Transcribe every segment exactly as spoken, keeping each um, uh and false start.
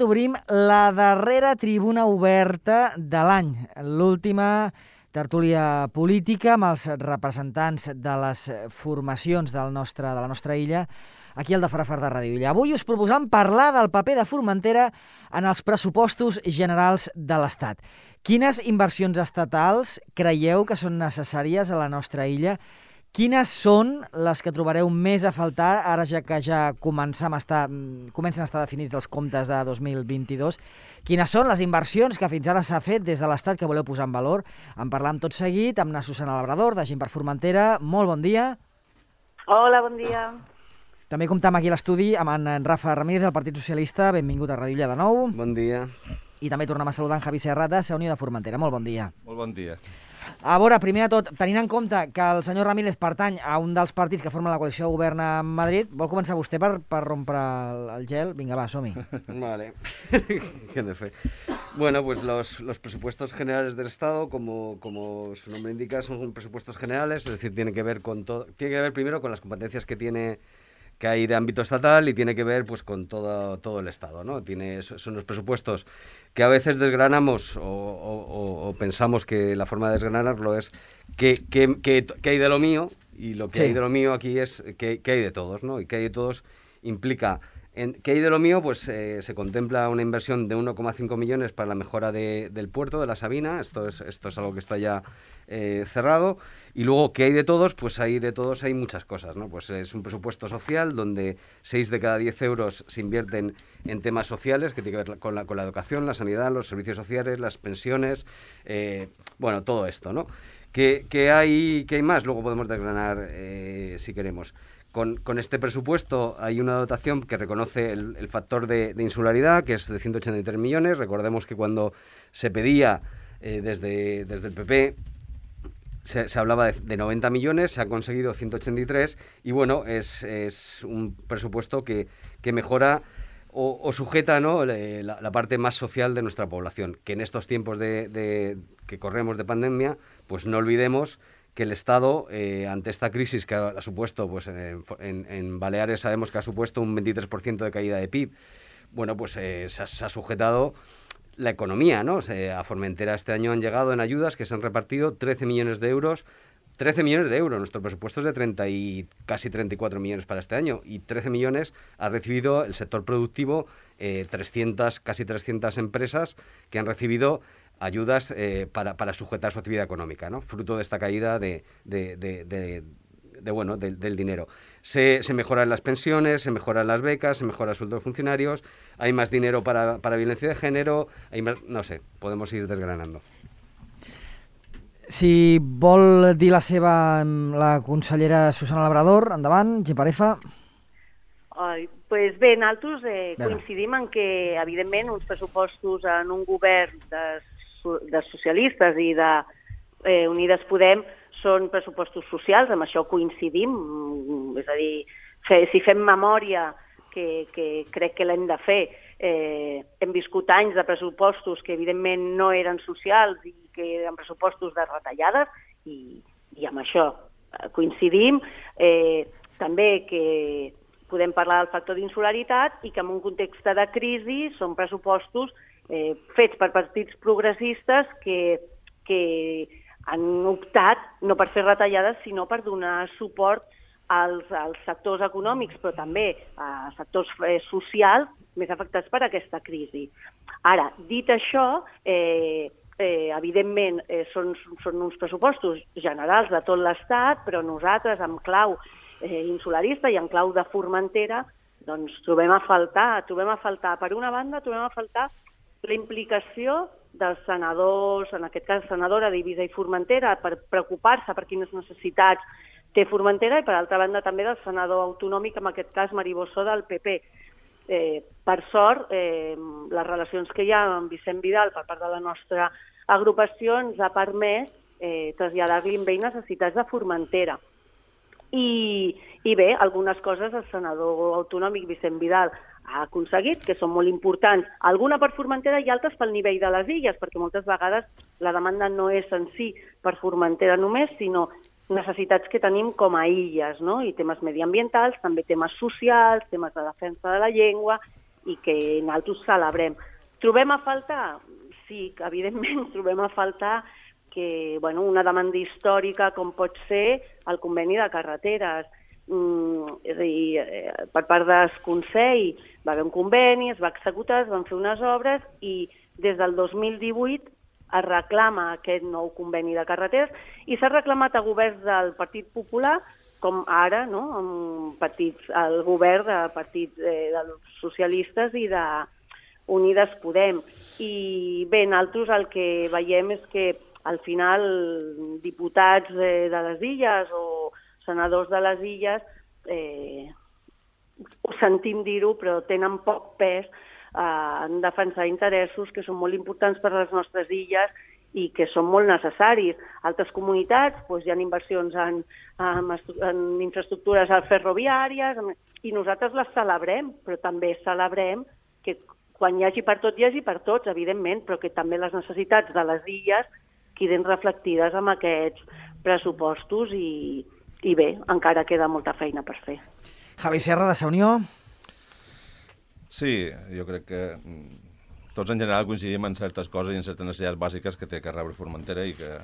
Obrim la darrera tribuna oberta de l'any, l'última tertúlia política amb els representants de les formacions del nostre, de la nostra illa, aquí al de Farafar de Ràdio Illa. Avui us proposam parlar del paper de Formentera en els pressupostos generals de l'Estat. Quines inversions estatals creieu que són necessàries a la nostra illa? Quines són les que trobareu més a faltar, ara ja que ja comencem a estar, comencen a estar definits els comptes de dos mil vint-i-dos? Quines són les inversions que fins ara s'ha fet des de l'Estat que voleu posar en valor? En parlam tot seguit amb na Susana Labrador, de Gent per Formentera. Molt bon dia. Hola, bon dia. També comptam aquí a l'estudi amb en Rafa Ramírez, del Partit Socialista. Benvingut a Ràdio Illa de nou. Bon dia. I també tornem a saludar en Javi Serrat, de Sa Unió de Formentera. Molt bon dia. Molt bon dia. A veure, primer de tot, tenint en compte que el senyor Ramírez pertany a un dels partits que formen la coalició de govern a Madrid, vol començar vostè per, per rompre el, el gel? Vinga, va, som-hi. Vale. ¿Qué de fe? Bueno, pues los, los presupuestos generales del Estado, como, como su nombre indica, son presupuestos generales, es decir, tiene que ver con todo, tiene que ver primero con las competencias que tiene que hay de ámbito estatal y tiene que ver pues con todo, todo el Estado, ¿no? Tiene, son los presupuestos que a veces desgranamos o, o, o pensamos que la forma de desgranarlo es que, que, que, que hay de lo mío, y lo que sí. hay de lo mío aquí es que, que hay de todos, ¿no? Y que hay de todos implica... En, ¿Qué hay de lo mío? Pues eh, se contempla una inversión de uno coma cinco millones para la mejora de, del puerto de la Sabina. Esto es, esto es algo que está ya eh, cerrado. Y luego, ¿qué hay de todos? Pues hay de todos hay muchas cosas, ¿no? Pues es un presupuesto social donde seis de cada diez euros se invierten en temas sociales que tienen que ver con la, con la educación, la sanidad, los servicios sociales, las pensiones, eh, bueno, todo esto, ¿no? ¿Qué, qué hay, qué hay más? Luego podemos desgranar eh, si queremos. Con, con este presupuesto hay una dotación que reconoce el, el factor de, de insularidad, que es de ciento ochenta y tres millones. Recordemos que cuando se pedía eh, desde, desde el P P se, se hablaba de, de noventa millones, se ha conseguido ciento ochenta y tres y bueno, es, es un presupuesto que, que mejora o, o sujeta, ¿no?, la, la parte más social de nuestra población, que en estos tiempos de, de, que corremos de pandemia, pues no olvidemos que el Estado, eh, ante esta crisis que ha, ha supuesto, pues en, en, en Baleares sabemos que ha supuesto un veintitrés por ciento de caída de P I B, bueno, pues eh, se, ha, se ha sujetado la economía, ¿no? O sea, a Formentera este año han llegado en ayudas que se han repartido trece millones de euros, trece millones de euros, nuestro presupuesto es de treinta y casi treinta y cuatro millones para este año, y trece millones ha recibido el sector productivo, eh, trescientas, casi trescientas empresas que han recibido ayudas eh, para, para sujetar su actividad económica, ¿no? Fruto de esta caída de, de, de, de, de bueno, de, del dinero. Se, se mejoran las pensiones, se mejoran las becas, se mejora el sueldo de funcionarios, hay más dinero para, para violencia de género, hay más, no sé, podemos ir desgranando. Si vol dir la seva la consellera Susana Labrador, endavant, Geparefa. Ai, pues bé, nosaltres eh, coincidim en que, evidentment, uns pressupostos en un govern de de socialistes i de eh, Unides Podem són pressupostos socials, amb això coincidim, és a dir, fe, si fem memòria, que, que crec que l'hem de fer, eh, hem viscut anys de pressupostos que evidentment no eren socials i que eren pressupostos de retallades, i, i amb això coincidim. Eh, també que podem parlar del factor d'insularitat i que en un context de crisi són pressupostos Eh, fets per partits progressistes que, que han optat no per fer retallades, sinó per donar suport als, als sectors econòmics, però també a sectors eh, socials més afectats per aquesta crisi. Ara, dit això, eh, eh, evidentment eh, són, són uns pressupostos generals de tot l'Estat, però nosaltres, amb clau eh, insularista i en clau de Formentera, doncs trobem a faltar, trobem a faltar, per una banda, trobem a faltar la implicació dels senadors, en aquest cas senadora d'Eivissa i Formentera, per preocupar-se per quines necessitats té Formentera, i per altra banda també del senador autonòmic, en aquest cas Maribossó del P P. Eh, per sort, eh, les relacions que hi ha amb Vicent Vidal per part de la nostra agrupació ens ha permès eh, traslladar-li amb ell necessitats de Formentera. I, i bé, algunes coses el senador autonòmic Vicent Vidal ha aconseguit, que són molt importants, alguna per Formentera i altres pel nivell de les illes, perquè moltes vegades la demanda no és en si per Formentera només, sinó necessitats que tenim com a illes, no? I temes mediambientals, també temes socials, temes de defensa de la llengua, i que nosaltres celebrem. Trobem a faltar? Sí, que evidentment trobem a faltar que, bueno, una demanda històrica com pot ser el conveni de carreteres. Mm, és a dir, eh, per part del Consell va haver un conveni, es va executar, es van fer unes obres i des del dos mil divuit es reclama aquest nou conveni de carreteres i s'ha reclamat a governs del Partit Popular, com ara, no?, amb partits, el govern de partits eh, dels socialistes i de Unides Podem. I bé, nosaltres el que veiem és que al final diputats eh, de les Illes o senadors de les Illes, eh, ho sentim dir-ho, però tenen poc pes eh, en defensar interessos que són molt importants per a les nostres illes i que són molt necessaris. Altres comunitats doncs, hi ha inversions en, en, en infraestructures ferroviàries i nosaltres les celebrem, però també celebrem que quan hi hagi per tot, hi hagi per tots, evidentment, però que també les necessitats de les illes queden reflectides en aquests pressupostos i, i bé, encara queda molta feina per fer. Javi Serra, de Sa Unió. Sí, jo crec que tots en general coincidim en certes coses i en certes necessitats bàsiques que té que rebre Formentera i que,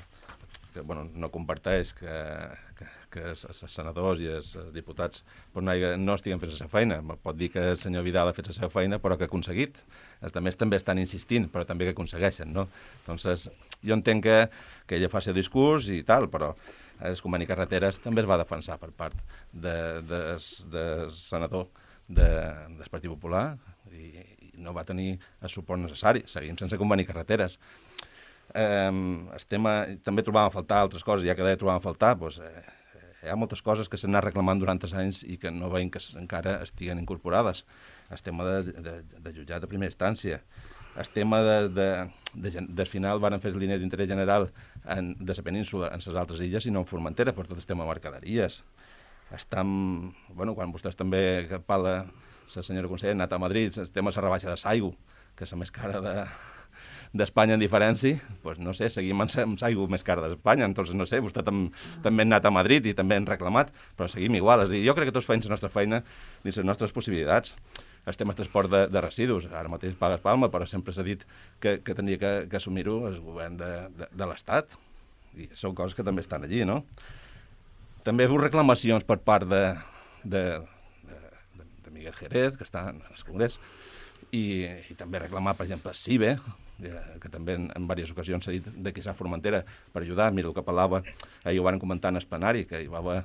que bueno, no comparteix que, que, que els senadors i els diputats pues, no, no estiguen fent la seva feina. Pot dir que el senyor Vidal ha fet la seva feina, però que ha aconseguit. Els altres també estan insistint, però també que aconsegueixen, no? Entonces, jo entenc que, que ella faci el discurs i tal, però el conveni carreteres també es va defensar per part del de, de, de senador de, del Partit Popular i, i no va tenir el suport necessari. Seguim sense conveni carreteres. Eh, el tema, també trobàvem a faltar altres coses, ja que deia trobàvem a faltar, doncs, eh, hi ha moltes coses que s'han anat reclamant durant els anys i que no veiem que encara estiguen incorporades. El tema de, de, de jutjat de primera instància, el tema de, de, de, del final van fer línies d'interès general en, de la península en les altres illes i no en Formentera, per tot el tema de mercaderies. Estam, bueno, quan vostès també parla, la senyora consellera, ha anat a Madrid, el tema de la rebaixa de Saigo, que és la més cara de, d'Espanya en diferència, doncs no sé, seguim amb Saigo més cara d'Espanya, entonces no sé, vostè tam, també ha anat a Madrid i també han reclamat, però seguim igual. És a dir, jo crec que tots feim la nostra feina i les nostres possibilitats. El tema de transport de, de residus, ara mateix pagues Palma, però sempre s'ha dit que, que tenia que, que assumir-ho el govern de, de, de l'Estat, i són coses que també estan allí, no? També hi ha reclamacions per part de, de, de, de Miguel Jerez, que està en el Congrés, i, i també reclamar, per exemple, CIBE, que també en, en diverses ocasions s'ha dit de que s'ha Formentera per ajudar. Mira el que parlava, ahir ho van comentar en el plenari, que hi va haver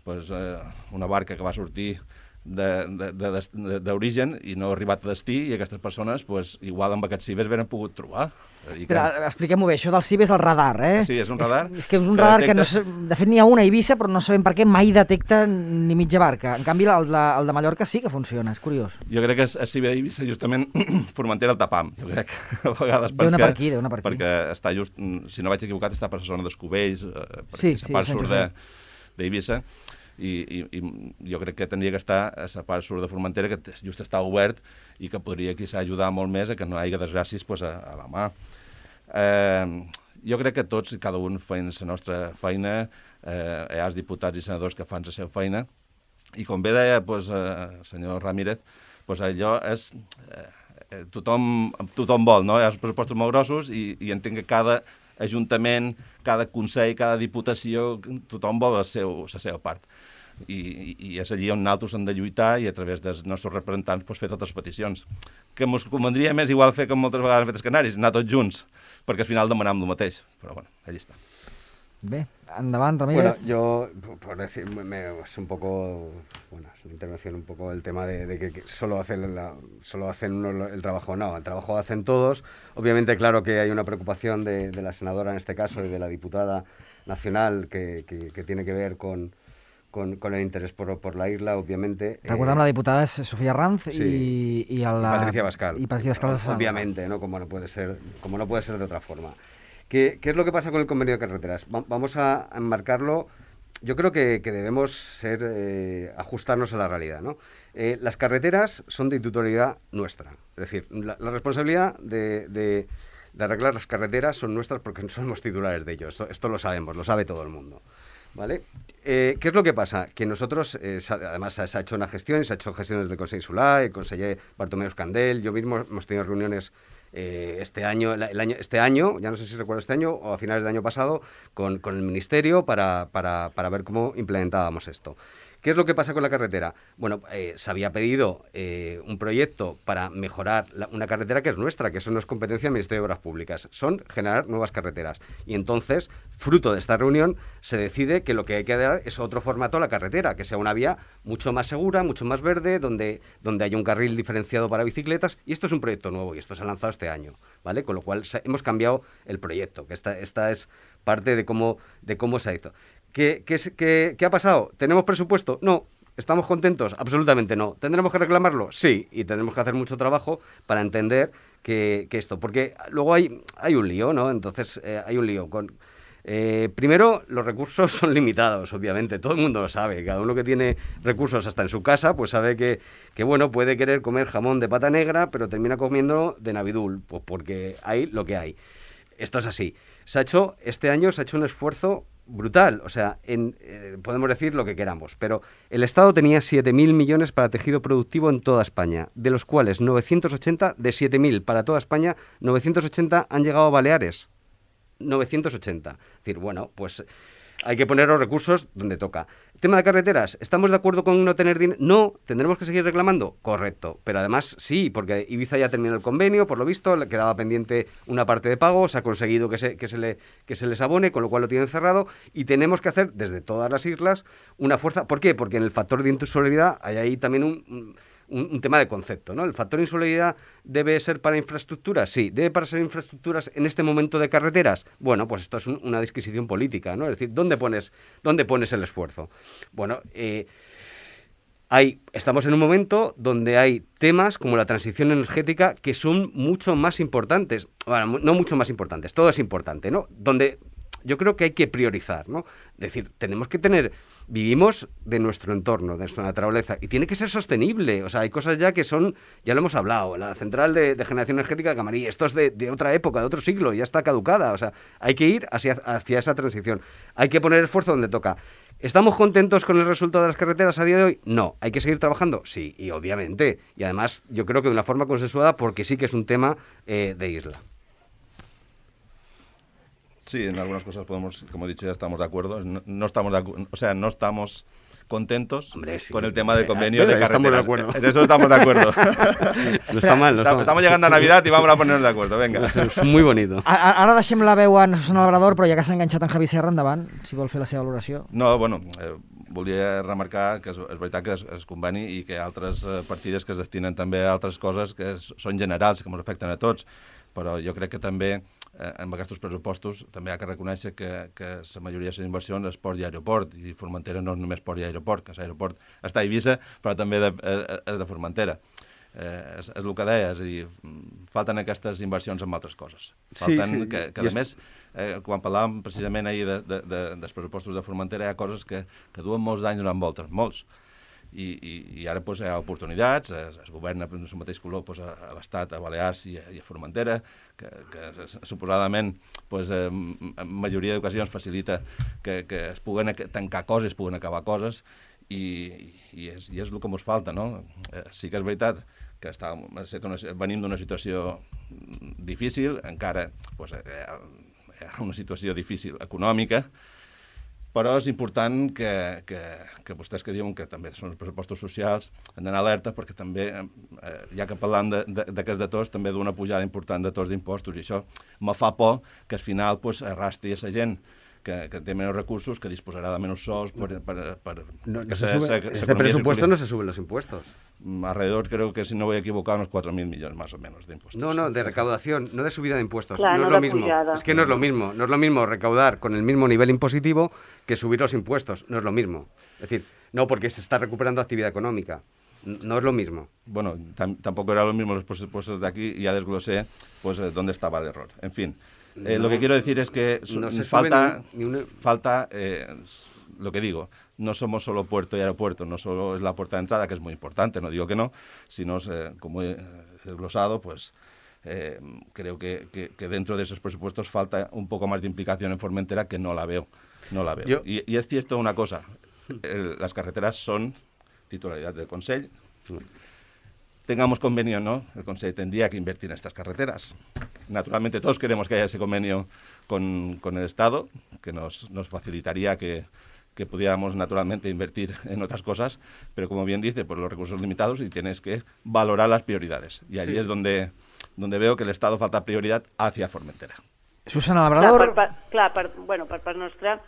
pues, eh, una barca que va sortir d'origen i no ha arribat a destí i aquestes persones, pues, igual amb aquests cibers venen pogut trobar. Espera, que... expliquem-ho bé, això del C I B és el radar, eh? Sí, és un radar. És, és que és un que radar detecta... que, no, de fet, n'hi ha una a Eivissa, però no sabem per què mai detecta ni mitja barca. En canvi, el de, el de Mallorca sí que funciona, és curiós. Jo crec que a C I B d'Eivissa, justament, Formentera el tapam, jo crec, a vegades. Deu anar per aquí, deu anar per aquí. Perquè està just, si no vaig equivocat, està per la zona dels Cubells, eh, sí, perquè la sí, part surt d'Eivissa. I, i, i jo crec que tindria que estar a la part sud de Formentera, que just està obert i que podria quizà ajudar molt més a que no hi hagi desgràcies pues, a, a la mà. Eh, jo crec que tots i cada un feien la nostra feina, eh, hi ha els diputats i senadors que fan la seva feina, i com bé deia pues, el senyor Ramírez, pues, allò és... Eh, tothom, tothom vol, no? Hi ha els pressupostos molt grossos i, i entenc que cada ajuntament, cada consell, cada diputació, tothom vol la seva, la seva part. I, i, i és allí on nosaltres hem de lluitar i a través dels nostres representants pues, fer totes les peticions. Que ens convendria més igual fer com moltes vegades han fet els canaris, anar tots junts, perquè al final demanem el mateix. Però bueno, allí està. Bé, endavant, Ramírez. Bueno, yo, por decir, me, es un poco, bueno, es una intervención un poco el tema de, de que, que solo hacen, la, solo hacen uno el trabajo. No, el trabajo lo hacen todos. Obviamente, claro que hay una preocupación de, de la senadora en este caso y de la diputada nacional que, que, que tiene que ver con, con, con el interés por, por la isla, obviamente. Recordem, eh, la diputada és Sofia Ranz sí, y, y, a la, y Patricia Bascal. Y Patricia Bascal. Obviamente, ¿no? Como no puede ser, como no puede ser de otra forma. ¿Qué, ¿Qué es lo que pasa con el convenio de carreteras? Va, vamos a enmarcarlo. Yo creo que, que debemos ser, eh, ajustarnos a la realidad, ¿no? Eh, las carreteras son de titularidad nuestra. Es decir, la, la responsabilidad de, de, de arreglar las carreteras son nuestras porque no somos titulares de ellos. Esto, esto lo sabemos, lo sabe todo el mundo. ¿Vale? Eh, ¿Qué es lo que pasa? Que nosotros, eh, además se ha hecho una gestión, y se ha hecho gestiones del Consejo Insular, el conseller Bartomeu Escandel, yo mismo hemos tenido reuniones eh, este año, el año, este año, ya no sé si recuerdo este año o a finales del año pasado, con, con el Ministerio para, para, para ver cómo implementábamos esto. ¿Qué es lo que pasa con la carretera? Bueno, eh, se había pedido eh, un proyecto para mejorar la, una carretera que es nuestra, que eso no es competencia del Ministerio de Obras Públicas, son generar nuevas carreteras. Y entonces, fruto de esta reunión, se decide que lo que hay que dar es otro formato a la carretera, que sea una vía mucho más segura, mucho más verde, donde, donde haya un carril diferenciado para bicicletas, y esto es un proyecto nuevo, y esto se ha lanzado este año, ¿vale? Con lo cual se, hemos cambiado el proyecto, que esta, esta es parte de cómo, de cómo se ha hecho. ¿Qué, qué, qué, ¿Qué ha pasado? ¿Tenemos presupuesto? No. ¿Estamos contentos? Absolutamente no. ¿Tendremos que reclamarlo? Sí. Y tendremos que hacer mucho trabajo para entender que, que esto... Porque luego hay, hay un lío, ¿no? Entonces, eh, hay un lío. Con, eh, primero, los recursos son limitados, obviamente. Todo el mundo lo sabe. Cada uno que tiene recursos hasta en su casa, pues sabe que, que bueno, puede querer comer jamón de pata negra, pero termina comiendo de Navidul, pues porque hay lo que hay. Esto es así. Se ha hecho, este año se ha hecho un esfuerzo brutal, o sea, en, eh, podemos decir lo que queramos, pero el Estado tenía siete mil millones para tejido productivo en toda España, de los cuales novecientos ochenta, de siete mil para toda España, novecientos ochenta han llegado a Baleares. novecientos ochenta. Es decir, bueno, pues hay que poner los recursos donde toca. Tema de carreteras, ¿estamos de acuerdo con no tener dinero? No, ¿tendremos que seguir reclamando? Correcto, pero además sí, porque Ibiza ya terminó el convenio, por lo visto, le quedaba pendiente una parte de pago, se ha conseguido que se, que se, le, que se les abone, con lo cual lo tienen cerrado, y tenemos que hacer desde todas las islas una fuerza. ¿Por qué? Porque en el factor de insularidad hay ahí también un... un Un, un tema de concepto, ¿no? ¿El factor de insularidad debe ser para infraestructuras? Sí. ¿Debe para ser infraestructuras en este momento de carreteras? Bueno, pues esto es un, una disquisición política, ¿no? Es decir, ¿dónde pones, dónde pones el esfuerzo? Bueno, eh, hay, estamos en un momento donde hay temas como la transición energética que son mucho más importantes. Bueno, no mucho más importantes, todo es importante, ¿no? Donde yo creo que hay que priorizar, ¿no? Es decir, tenemos que tener... Vivimos de nuestro entorno, de nuestra naturaleza, y tiene que ser sostenible. O sea, hay cosas ya que son, ya lo hemos hablado, la central de, de generación energética de Camarí, esto es de, de otra época, de otro siglo, ya está caducada. O sea, hay que ir hacia, hacia esa transición. Hay que poner esfuerzo donde toca. ¿Estamos contentos con el resultado de las carreteras a día de hoy? No. ¿Hay que seguir trabajando? Sí, y obviamente. Y además, yo creo que de una forma consensuada, porque sí que es un tema eh, de isla. Sí, en algunas cosas podemos, como he dicho, ya estamos de acuerdo. No, no estamos de acu- o sea, no estamos contentos Hombre, sí, con el tema de hombre, convenio de carreteras. Estamos de acuerdo. En eso estamos de acuerdo. No está mal, no está mal. Estamos llegando a Navidad y vamos a ponernos de acuerdo, venga. És muy bonito. A- Ara deixem la veu en Susana Labrador, però ja que s'ha enganxat en Javi Serra, endavant, si vol fer la seva valoració. No, bueno, eh, volia remarcar que és, és veritat que es, es conveni i que hi ha altres eh, partides que es destinen també a altres coses que es, són generals, que ens afecten a tots, però jo crec que també eh, amb aquests pressupostos també hi ha que reconèixer que, que la majoria de les inversions és port i aeroport, i Formentera no és només port i aeroport, que l'aeroport està a Eivissa, però també de, és, és de Formentera. Eh, és, és el que deia, és a dir, falten aquestes inversions en altres coses. Falten sí, sí. que, que a més, eh, quan parlàvem precisament ahir de, de, de, dels pressupostos de Formentera, hi ha coses que, que duen molts d'anys donant voltes, molts. I, i, i ara pues, hi ha oportunitats, es, es governa en el mateix color pues, a, a l'Estat, a Balears i a, i a Formentera, que, que suposadament pues, eh, en majoria d'ocasions facilita que, que es puguen tancar coses, es puguen acabar coses, i, i, és, i és el que ens falta, no? Eh, sí que és veritat que està, una, venim d'una situació difícil, encara pues, hi ha una situació difícil econòmica, però és important que, que, que vostès que diuen que també són els pressupostos socials han d'anar alerta perquè també, eh, ja que parlant d'aquests de tots, també d'una pujada important de tots d'impostos, i això me fa por que al final pues, arrastri a la gent que, que té menys recursos, que disposarà de menys sols per... per, per no, no se se, sube, se, este presupuesto no se suben los impuestos. Alrededor, creo que si no voy a equivocar, unos cuatro mil millones más o menos de impuestos. No, no, de recaudación, no de subida de impuestos. Claro, no, no es lo mismo. Pujada. Es que no es lo mismo. No es lo mismo recaudar con el mismo nivel impositivo que subir los impuestos. No es lo mismo. Es decir, no porque se está recuperando actividad económica. No es lo mismo. Bueno, tampoco era lo mismo los presupuestos de aquí y ya desglosé pues, dónde estaba el error. En fin. Eh, no, lo que quiero decir es que no se falta, ni, ni una... falta eh, lo que digo, no somos solo puerto y aeropuerto, no solo es la puerta de entrada, que es muy importante, no digo que no, sino, eh, como he desglosado, pues eh, creo que, que, que dentro de esos presupuestos falta un poco más de implicación en Formentera, que no la veo. No la veo. Yo... Y, y es cierto una cosa, el, las carreteras son titularidad del Consell. Tengamos convenio o no, el Consell tendría que invertir en estas carreteras. Naturalmente todos queremos que haya ese convenio con, con el Estado, que nos, nos facilitaría que, que pudiéramos naturalmente invertir en otras cosas, pero como bien dice, pues los recursos limitados y tienes que valorar las prioridades. Y allí sí. es donde, donde veo que el Estado falta prioridad hacia Formentera. Susana Labrador... Clar, per, per, clar per, bueno, per part nostra,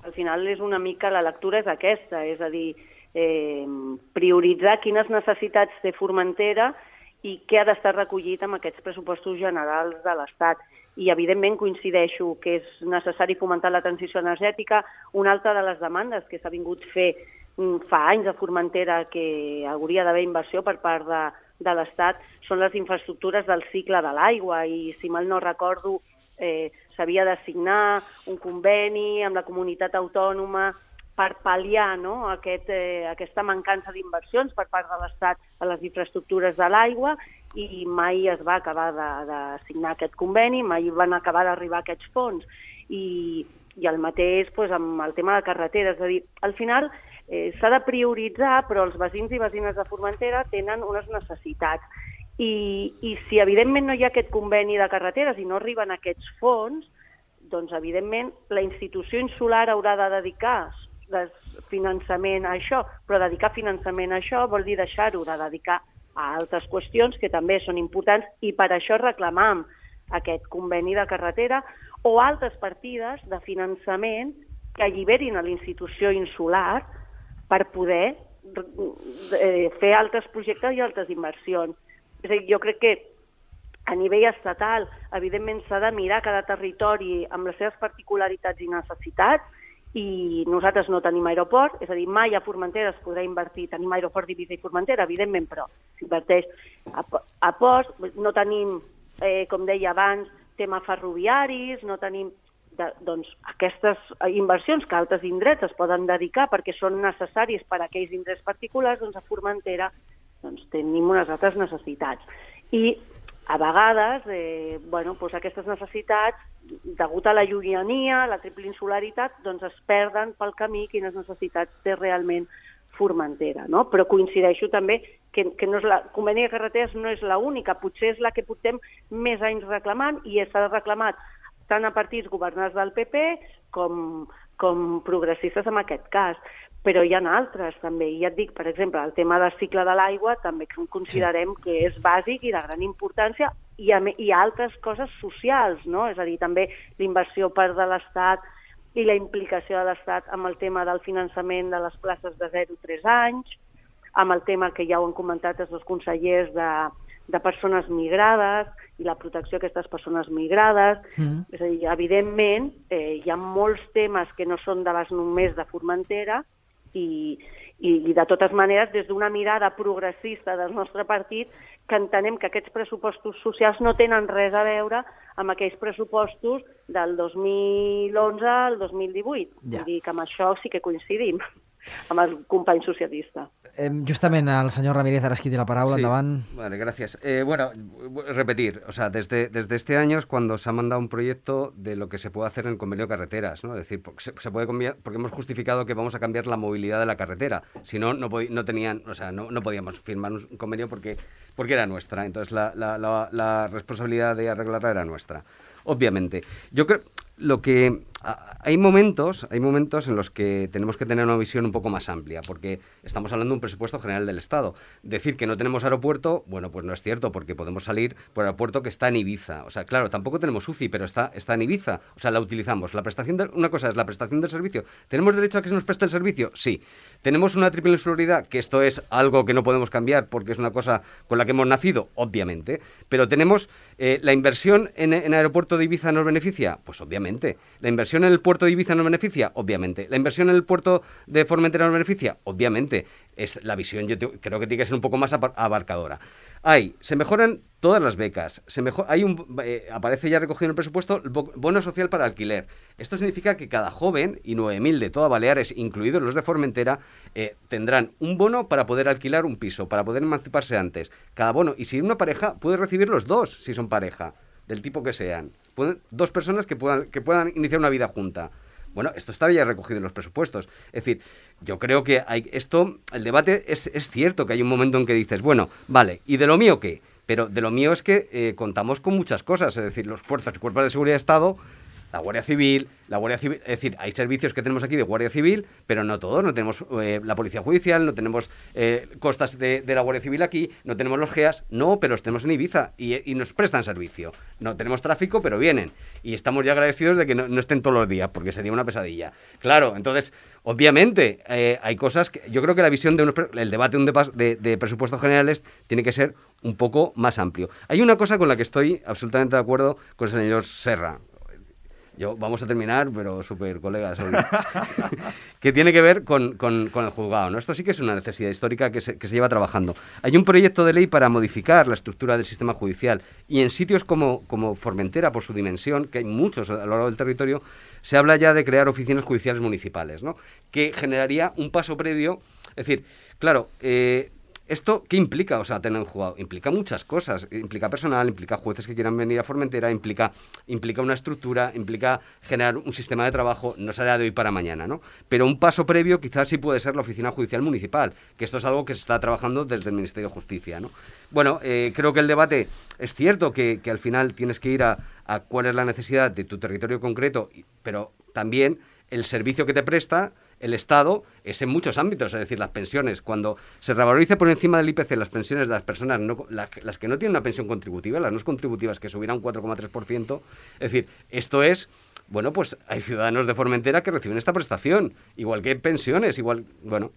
al final és una mica, la lectura és aquesta, és a dir, eh, prioritzar quines necessitats té Formentera i què ha d'estar recollit amb aquests pressupostos generals de l'Estat. I, evidentment, coincideixo que és necessari fomentar la transició energètica. Una altra de les demandes que s'ha vingut fer fa anys a Formentera, que hauria d'haver inversió per part de, de l'Estat, són les infraestructures del cicle de l'aigua. I, si mal no recordo, eh, s'havia de signar un conveni amb la comunitat autònoma per pal·liar, no, aquest, eh, aquesta mancança d'inversions per part de l'Estat a les infraestructures de l'aigua, i mai es va acabar de, de signar aquest conveni, mai van acabar d'arribar aquests fons. I, i el mateix pues, amb el tema de carreteres. És a dir, al final eh, s'ha de prioritzar, però els veïns i veïnes de Formentera tenen unes necessitats. I, i si evidentment no hi ha aquest conveni de carreteres i no arriben aquests fons, doncs evidentment la institució insular haurà de dedicar finançament a això, però dedicar finançament a això vol dir deixar-ho de dedicar a altres qüestions que també són importants, i per això reclamam aquest conveni de carretera o altres partides de finançament que alliberin a la institució insular per poder fer altres projectes i altres inversions. És a dir, jo crec que a nivell estatal, evidentment, s'ha de mirar cada territori amb les seves particularitats i necessitats, i nosaltres no tenim aeroport, és a dir, mai a Formentera es podrà invertir, tenim aeroport d'Eivissa i Formentera, evidentment, però s'inverteix a, a ports, no tenim, eh, com deia abans, tema ferroviaris, no tenim de, doncs, aquestes inversions que altres indrets es poden dedicar perquè són necessaris per a aquells indrets particulars, doncs a Formentera doncs, tenim unes altres necessitats. I a vegades, eh, bueno, doncs aquestes necessitats, degut a la llunyania, la triple insularitat, doncs es perden pel camí quines necessitats té realment Formentera, no? Però coincideixo també que, que no és la conveni de carreteres no és l'única, potser és la que portem més anys reclamant, i s'ha reclamat tant a partits governats del P P com, com progressistes en aquest cas. Però hi ha altres també, i ja et dic, per exemple, el tema del cicle de l'aigua també considerem sí. que és bàsic i de gran importància, i hi, hi ha altres coses socials, no? És a dir, també l'inversió per de l'Estat i la implicació de l'Estat amb el tema del finançament de les places de zero a tres anys, amb el tema que ja ho han comentat els dos consellers de, de persones migrades i la protecció d'aquestes persones migrades. Mm. És a dir, evidentment, eh, hi ha molts temes que no són de les només de Formentera, I, i, i de totes maneres, des d'una mirada progressista del nostre partit, que entenem que aquests pressupostos socials no tenen res a veure amb aquells pressupostos del dos mil onze al dos mil divuit. Ja. Vull dir que amb això sí que coincidim amb el company socialista. Eh, justament el señor Ramírez ara es qui té la paraula, sí, endavant. Vale, gracias. Eh, bueno, repetir, o sea, desde, desde este año es cuando se ha mandado un proyecto de lo que se puede hacer en el convenio de carreteras, ¿no? Es decir, se, se puede cambiar, porque hemos justificado que vamos a cambiar la movilidad de la carretera. Si no, no, no tenían, o sea, no, no podíamos firmar un convenio porque, porque era nuestra. Entonces la, la, la, la responsabilidad de arreglarla era nuestra. Obviamente. Yo creo lo que hay momentos, hay momentos en los que tenemos que tener una visión un poco más amplia, porque estamos hablando de un presupuesto general del Estado. Decir que no tenemos aeropuerto, bueno, pues no es cierto, porque podemos salir por el aeropuerto que está en Ibiza. O sea, claro, tampoco tenemos U C I, pero está, está en Ibiza. O sea, la utilizamos. La prestación de, una cosa es la prestación del servicio. ¿Tenemos derecho a que se nos preste el servicio? Sí. ¿Tenemos una triple insularidad? Que esto es algo que no podemos cambiar porque es una cosa con la que hemos nacido, obviamente. Pero tenemos eh, la inversión en, en aeropuerto de Ibiza, ¿nos beneficia? Pues obviamente. La inversión inversión en el puerto de Ibiza nos beneficia? Obviamente. ¿La inversión en el puerto de Formentera nos beneficia? Obviamente. Es, la visión yo te, creo que tiene que ser un poco más abarcadora. Hay, se mejoran todas las becas, se mejor, hay un, eh, aparece ya recogido en el presupuesto el bono social para alquiler. Esto significa que cada joven, y nueve mil de toda Baleares, incluidos los de Formentera, eh, tendrán un bono para poder alquilar un piso, para poder emanciparse antes. Cada bono, y si una pareja, puede recibir los dos, si son pareja, del tipo que sean. Pueden, dos personas que puedan, que puedan iniciar una vida junta. Bueno, esto está ya recogido en los presupuestos. Es decir, yo creo que hay esto, el debate es, es cierto que hay un momento en que dices, bueno, vale, ¿y de lo mío qué? Pero de lo mío es que eh, contamos con muchas cosas, es decir, los fuerzas y cuerpos de seguridad de Estado, la Guardia Civil, la Guardia Civil, es decir, hay servicios que tenemos aquí de Guardia Civil, pero no todos, no tenemos eh, la Policía Judicial, no tenemos eh, costas de, de la Guardia Civil aquí, no tenemos los G E A S, no, pero los tenemos en Ibiza y, y nos prestan servicio. No tenemos tráfico, pero vienen. Y estamos ya agradecidos de que no, no estén todos los días, porque sería una pesadilla. Claro, entonces, obviamente, eh, hay cosas que yo creo que la visión de unos, el debate de, un de, de, de presupuestos generales tiene que ser un poco más amplio. Hay una cosa con la que estoy absolutamente de acuerdo con el señor Serra. Yo, vamos a terminar, pero súper colegas hoy. Que tiene que ver con, con, con el juzgado, ¿no? Esto sí que es una necesidad histórica que se, que se lleva trabajando. Hay un proyecto de ley para modificar la estructura del sistema judicial y en sitios como, como Formentera, por su dimensión, que hay muchos a lo largo del territorio, se habla ya de crear oficinas judiciales municipales, ¿no? Que generaría un paso previo. Es decir, claro, eh, ¿esto qué implica? O sea, tener un juzgado implica muchas cosas, implica personal, implica jueces que quieran venir a Formentera, implica, implica una estructura, implica generar un sistema de trabajo, no será de hoy para mañana, ¿no? Pero un paso previo quizás sí puede ser la Oficina Judicial Municipal, que esto es algo que se está trabajando desde el Ministerio de Justicia, ¿no? Bueno, eh, creo que el debate es cierto que, que al final tienes que ir a, a cuál es la necesidad de tu territorio concreto, pero también el servicio que te presta el Estado es en muchos ámbitos, es decir, las pensiones, cuando se revalorice por encima del I P C las pensiones de las personas, no, las, las que no tienen una pensión contributiva, las no contributivas que subirán un cuatro coma tres por ciento, es decir, esto es, bueno, pues hay ciudadanos de Formentera que reciben esta prestación, igual que pensiones, igual, bueno...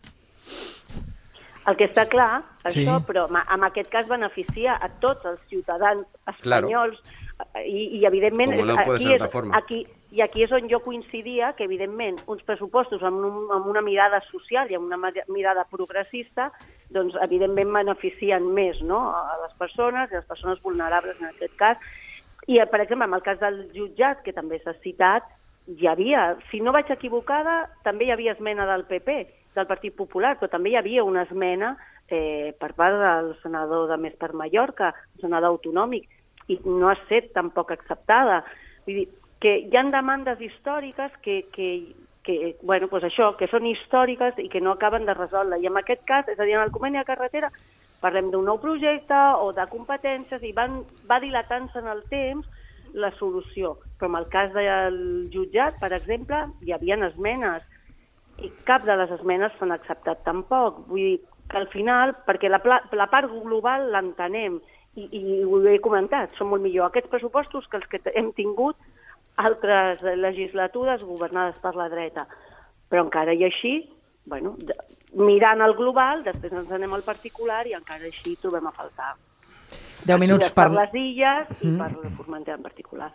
El que està clar, sí. això, però en aquest cas beneficia a tots els ciutadans espanyols, claro. i, i evidentment no aquí, és, aquí, i aquí és on jo coincidia que evidentment uns pressupostos amb, un, amb una mirada social i amb una mirada progressista doncs evidentment beneficien més, no?, a les persones i a les persones vulnerables en aquest cas. I per exemple en el cas del jutjat, que també s'ha citat, hi havia, si no vaig equivocada, també hi havia esmena del P P, del Partit Popular, però també hi havia una esmena eh, per part del senador de Més per Mallorca, un senador autonòmic, i no ha estat tampoc acceptada. Vull dir, que hi ha demandes històriques que, que, que, bueno, doncs això, que són històriques i que no acaben de resoldre. I en aquest cas, és a dir, en el conveni de carretera, parlem d'un nou projecte o de competències i van, va dilatant-se en el temps la solució. Però en el cas del jutjat, per exemple, hi havia esmenes i cap de les esmenes s'han acceptat tampoc. Vull dir que al final, perquè la, la part global l'entenem, i, i ho he comentat, són molt millor aquests pressupostos que els que hem tingut altres legislatures governades per la dreta. Però encara i així, bueno, mirant el global, després ens anem al particular i encara així trobem a faltar. deu minuts per... per les illes i per Formentera en particular.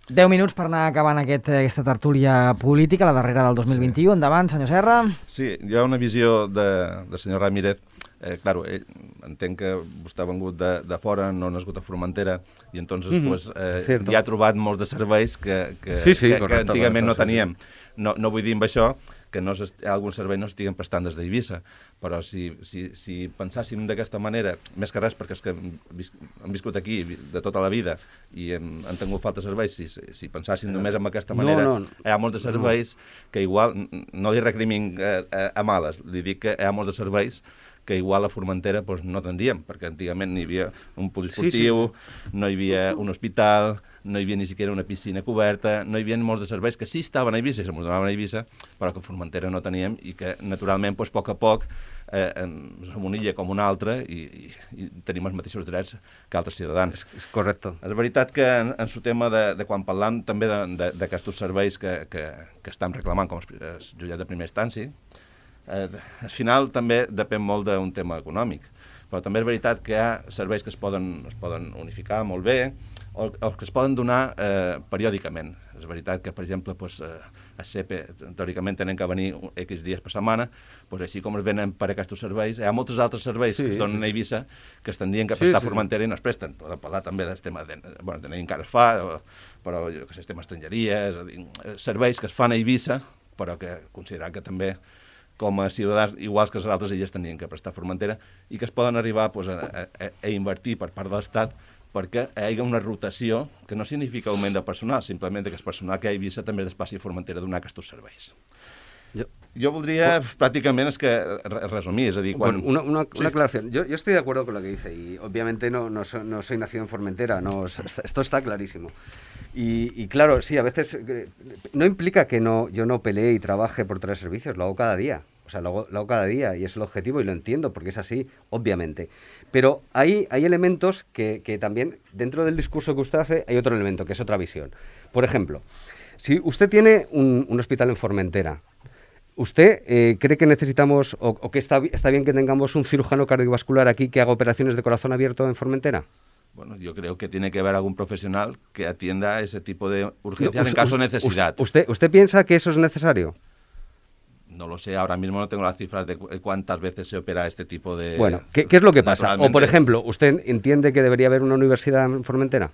deu minuts per anar acabant aquest, aquesta tertúlia política, la darrera del dos mil vint-i-u. Endavant, senyor Serra. Sí, hi ha una visió de, de senyor Ramírez. Eh, claro, ell, entenc que vostè ha vengut de, de fora, no ha nascut a Formentera, i entonces mm -hmm. pues, eh, hi ha trobat molts de serveis que, que, sí, sí, que, correcte, que antigament correcte, no teníem. No, no vull dir amb això que no alguns serveis no estiguen prestant des d'Eivissa, però si, si, si pensàssim d'aquesta manera, més que res perquè és que hem, vis, hem viscut aquí de tota la vida i hem, hem tingut falta de serveis, si, si pensàssim només amb aquesta manera, no, no, hi ha molts de serveis no. que igual, no li recrimin eh, eh, a males, li dic que hi ha molts de serveis que igual a Formentera pues, no tindríem, perquè antigament no hi havia un poliesportiu, sí, sí. no hi havia un hospital, no hi havia ni siquiera una piscina coberta, no hi havia molts de serveis que sí estaven a Eivissa i s'amodonaven a Eivissa, però que a Formentera no teníem i que naturalment pues, a poc a poc eh, som una illa com una altra i, i, i tenim els mateixos drets que altres ciutadans. És, és correcte. És veritat que en, en el tema de, de quan parlam també d'aquests serveis que, que, que estan reclamant com el jutjat de primera instància, Eh, al final també depèn molt d'un tema econòmic, però també és veritat que hi ha serveis que es poden, es poden unificar molt bé o, o que es poden donar eh, periòdicament. És veritat que, per exemple, pues, eh, a C E P E, teòricament, tenen que venir X dies per setmana, pues, així com es venen per aquests serveis, hi ha molts altres serveis sí, que es donen a Eivissa que es tindrien que prestar sí, sí. a Formentera i no es presten. Podem parlar també del tema de... Bueno, de encara es fa, però jo que sé, el tema estrangeria, serveis que es fan a Eivissa, però que considerant que també com a ciutadans, iguals que les altres illes, tenien que prestar a Formentera i que es poden arribar pues, a, a, a invertir per part de l'Estat perquè hi hagi una rotació que no significa augment de personal, simplement que el personal que hi ha a Eivissa també es passi a Formentera a donar aquests serveis. Jo, yo voldría oh. prácticamente es que resumir, es decir, cuando... Bueno, una, una, sí. una aclaración. Yo, yo estoy de acuerdo con lo que dice y obviamente no, no, so, no soy nacido en Formentera, no, esto está clarísimo. Y, y claro, sí, a veces no implica que no, yo no pelee y trabaje por traer servicios, lo hago cada día. O sea, lo hago, lo hago cada día y es el objetivo y lo entiendo porque es así, obviamente. Pero hay, hay elementos que, que también, dentro del discurso que usted hace, hay otro elemento, que es otra visión. Por ejemplo, si usted tiene un, un hospital en Formentera, ¿usted eh, cree que necesitamos o, o que está, está bien que tengamos un cirujano cardiovascular aquí que haga operaciones de corazón abierto en Formentera? Bueno, yo creo que tiene que haber algún profesional que atienda ese tipo de urgencias no, en caso de necesidad. ¿Usted, ¿Usted piensa que eso es necesario? No lo sé, ahora mismo no tengo las cifras de cuántas veces se opera este tipo de... Bueno, ¿qué, qué es lo que pasa? O, por ejemplo, ¿usted entiende que debería haber una universidad en Formentera?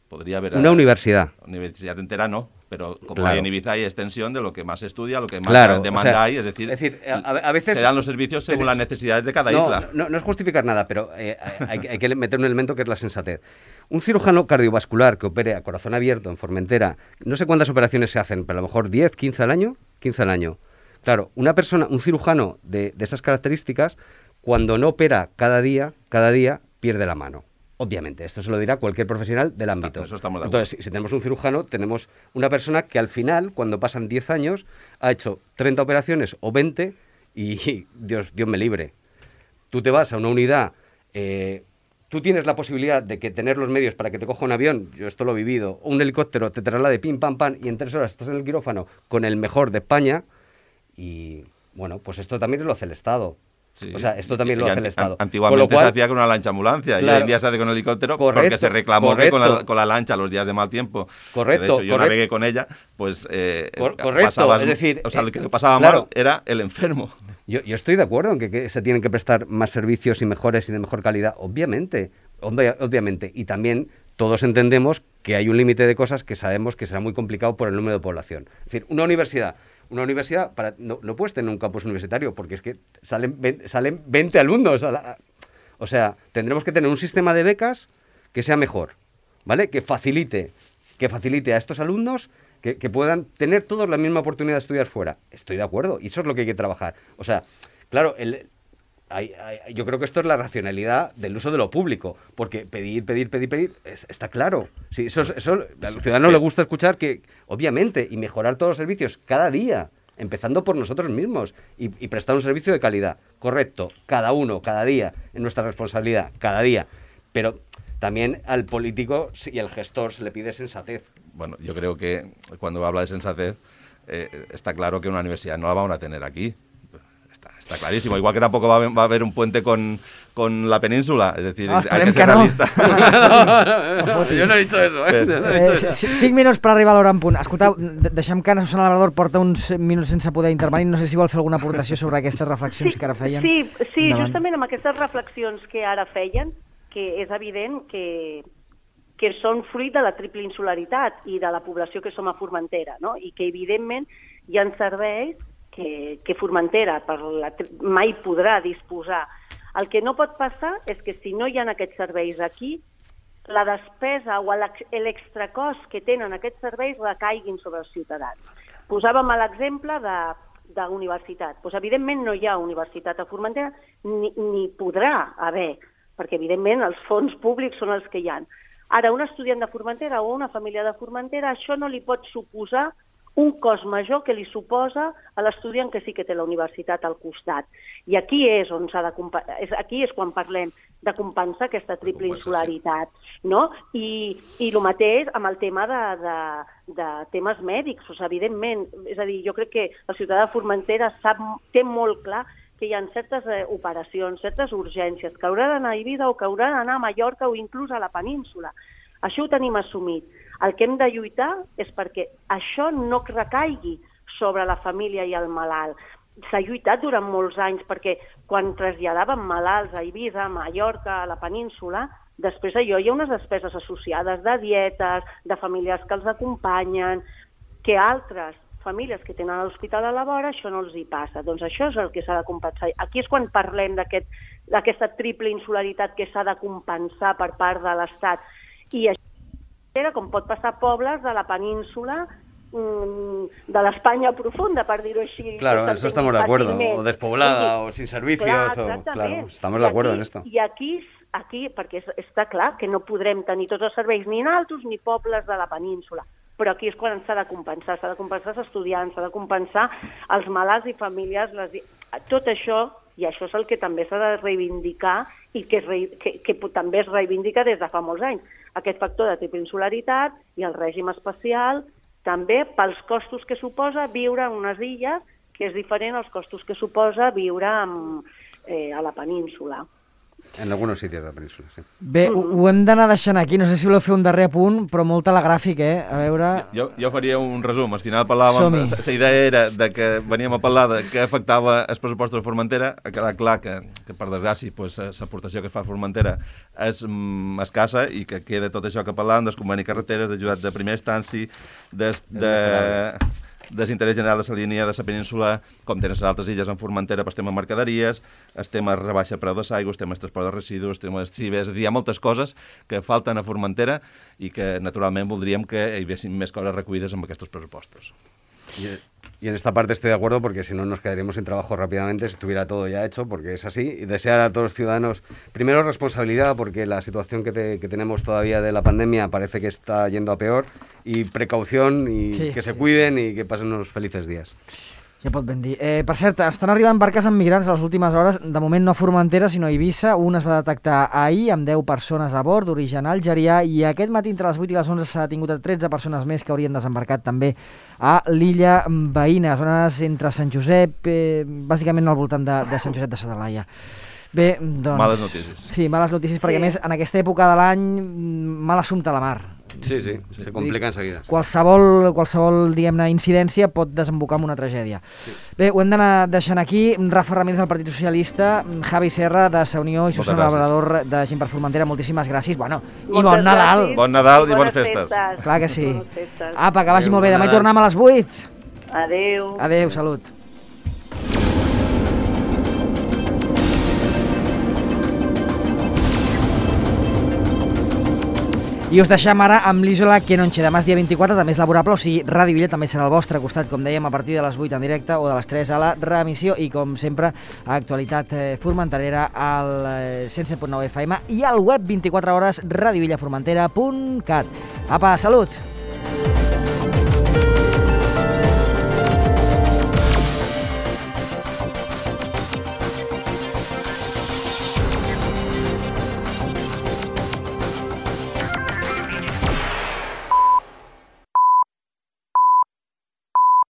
Podría haber... Una a, universidad. Universidad entera no, pero como claro. hay en Ibiza hay extensión de lo que más se estudia, lo que más claro, demanda o sea, hay, es decir, es decir a, a veces se dan los servicios según las necesidades de cada no, isla. No, no es justificar nada, pero eh, hay, hay que meter un elemento que es la sensatez. Un cirujano cardiovascular que opere a corazón abierto en Formentera, no sé cuántas operaciones se hacen, pero a lo mejor diez, quince al año, quince al año. Claro, una persona, un cirujano de, de esas características, cuando no opera cada día, cada día pierde la mano. Obviamente, esto se lo dirá cualquier profesional del ámbito. Eso estamos de acuerdo. Entonces, si, si tenemos un cirujano, tenemos una persona que al final, cuando pasan diez años, ha hecho treinta operaciones o veinte y Dios, Dios me libre. Tú te vas a una unidad, eh, tú tienes la posibilidad de que tener los medios para que te coja un avión, yo esto lo he vivido, o un helicóptero te traslade pim, pam, pam, y en tres horas estás en el quirófano con el mejor de España. Y, bueno, pues esto también lo hace el Estado. Sí. O sea, esto también y, lo y hace el Estado. Antiguamente cual, se hacía con una lancha ambulancia claro, y hoy en día se hace con helicóptero correcto, porque se reclamó que con la, con la lancha los días de mal tiempo, correcto, que de hecho yo correcto. navegué con ella, pues eh, Cor correcto, pasabas, es decir... O sea, eh, lo que pasaba claro, mal era el enfermo. Yo, yo estoy de acuerdo en que, que se tienen que prestar más servicios y mejores y de mejor calidad, obviamente, ob obviamente, y también todos entendemos que hay un límite de cosas que sabemos que será muy complicado por el número de población. Es decir, una universidad... Una universidad, para, no, no puedes tener un campus universitario porque es que salen, salen veinte alumnos. A la, o sea, tendremos que tener un sistema de becas que sea mejor, ¿vale? Que facilite, que facilite a estos alumnos que, que puedan tener todos la misma oportunidad de estudiar fuera. Estoy de acuerdo, y eso es lo que hay que trabajar. O sea, claro, el... Hay, hay, yo creo que esto es la racionalidad del uso de lo público, porque pedir, pedir, pedir, pedir, es, está claro. Sí, eso, eso al ciudadano le gusta escuchar que, obviamente, y mejorar todos los servicios cada día, empezando por nosotros mismos, y, y prestar un servicio de calidad. Correcto, cada uno, cada día, en nuestra responsabilidad, cada día. Pero también al político y al gestor se le pide sensatez. Bueno, yo creo que cuando habla de sensatez, eh, está claro que una universidad no la vamos a tener aquí. Está clarísimo, igual que tampoco va a haber, va a haber un puente con, con la península, es decir, no, hay que ser que no. realista. no, no, no, jo no he dit això, eh? No he dit eh cinc minuts per arribar a l'hora en punt. Escoltau, deixem que Ana Susana Labrador porta uns minuts sense poder intervenir, no sé si vol fer alguna aportació sobre aquestes reflexions sí, que ara feien. Sí, sí Endavant. Justament amb aquestes reflexions que ara feien, que és evident que, que són fruit de la triple insularitat i de la població que som a Formentera, no? I que evidentment hi ha serveis que, que Formentera per la, mai podrà disposar. El que no pot passar és que si no hi ha aquests serveis aquí, la despesa o l'extracost que tenen aquests serveis recaiguin sobre els ciutadans. Posàvem l'exemple de, de universitat. Pues, evidentment no hi ha universitat a Formentera, ni, ni podrà haver, perquè evidentment els fons públics són els que hi ha. Ara, un estudiant de Formentera o una família de Formentera, això no li pot suposar un cost major que li suposa a l'estudiant que sí que té la universitat al costat. I aquí és on s'ha de aquí és quan parlem de compensar aquesta triple insularitat, no? I, i el mateix amb el tema de, de, de temes mèdics, o sigui, evidentment, és a dir, jo crec que el ciutadà de Formentera sap, té molt clar que hi ha certes eh, operacions, certes urgències, que haurà d'anar a Eivissa o que haurà d'anar a Mallorca o inclús a la península. Això ho tenim assumit. El que hem de lluitar és perquè això no recaigui sobre la família i el malalt. S'ha lluitat durant molts anys perquè quan traslladàvem malalts a Eivissa, a Mallorca, a la península, després d'allò hi ha unes despeses associades de dietes, de familiars que els acompanyen, que altres famílies que tenen l'hospital a la vora, això no els hi passa. Doncs això és el que s'ha de compensar. Aquí és quan parlem d'aquest, d'aquesta triple insularitat que s'ha de compensar per part de l'Estat. I això era com pot passar a pobles de la península, de l'Espanya profunda, per dir-ho així. Claro, en eso estamos de acuerdo. O despoblada, o sin servicios. Clar, o, claro, estamos de acuerdo en esto. I aquí, aquí perquè està clar que no podrem tenir tots els serveis ni en altos ni pobles de la península. Però aquí és quan s'ha de compensar, s'ha de compensar els estudiants, s'ha de compensar els malalts i famílies, les... tot això, i això és el que també s'ha de reivindicar i que, es re... que, que també es reivindica des de fa molts anys. Aquest factor de tripinsularitat i el règim especial, també pels costos que suposa viure en unes illes, que és diferent als costos que suposa viure en, eh, a la península. En algunos sitios de la península, sí. Bé, ho, ho hem d'anar deixant aquí. No sé si voleu fer un darrer apunt, però molt telegràfic, eh? A veure... Jo, jo faria un resum. Al final parlàvem... La idea era de que veníem a parlar de què afectava els pressupostos de Formentera. Ha quedat clar que, que per desgràcia, pues, l'aportació que fa Formentera és mm, escassa i que queda tot això que parlàvem, dels convenis carreteres, d'ajudat de primera instància, des, de... desinterès general de la línia de la península, com tenen les altres illes en Formentera per tema mercaderies, el tema rebaixa preu de l'aigua, el tema transport de residus, el tema cibes, és a dir, hi ha moltes coses que falten a Formentera i que naturalment voldríem que hi haguessin més coses recollides amb aquests pressupostos. Y, y en esta parte estoy de acuerdo porque si no nos quedaríamos sin trabajo rápidamente si estuviera todo ya hecho, porque es así. Y desear a todos los ciudadanos, primero responsabilidad, porque la situación que, te, que tenemos todavía de la pandemia parece que está yendo a peor, y precaución, y sí, que se cuiden y que pasen unos felices días. Ja pot ben dir. Eh, per cert, estan arribant barques amb migrants a les últimes hores, de moment no a Formentera, sinó a Eivissa. Un es va detectar ahir amb deu persones a bord, d'origen algerià, i aquest matí entre les vuit i les onze s'ha tingut a tretze persones més que haurien desembarcat també a l'illa veïna, zones entre Sant Josep, eh, bàsicament al voltant de, de Sant Josep de sa Talaia. Bé, doncs... Males notícies. Sí, males notícies, perquè a més en aquesta època de l'any mal assumpte a la mar. Sí, sí, sí, se complica enseguida. Qualsevol, qualsevol diguem-ne, incidència pot desembocar en una tragèdia. Sí. Bé, ho hem d'anar deixant aquí. Rafa Ramírez del Partit Socialista, Javi Serra de Sa Unió i Susana Labrador de Gent per Formentera, moltíssimes gràcies. Bueno, i bon Moltes Nadal. Gràcies. Bon Nadal i bones, bones festes. festes. Clar que sí. Apa, que vagi Adeu, molt bé. Demà hi tornem a les vuit. Adéu. Adéu, salut. I us deixem ara amb l'Isola que no enxe. Demà és dia vint-i-quatre, també és laborable, o sigui, Ràdio Villa també serà al vostre costat, com dèiem, a partir de les vuit en directe o de les tres a la reemissió i, com sempre, a Actualitat Formenterera al cent set punt nou F M i al web vint-i-quatre hores radiovillaformentera punt cat. Apa, salut!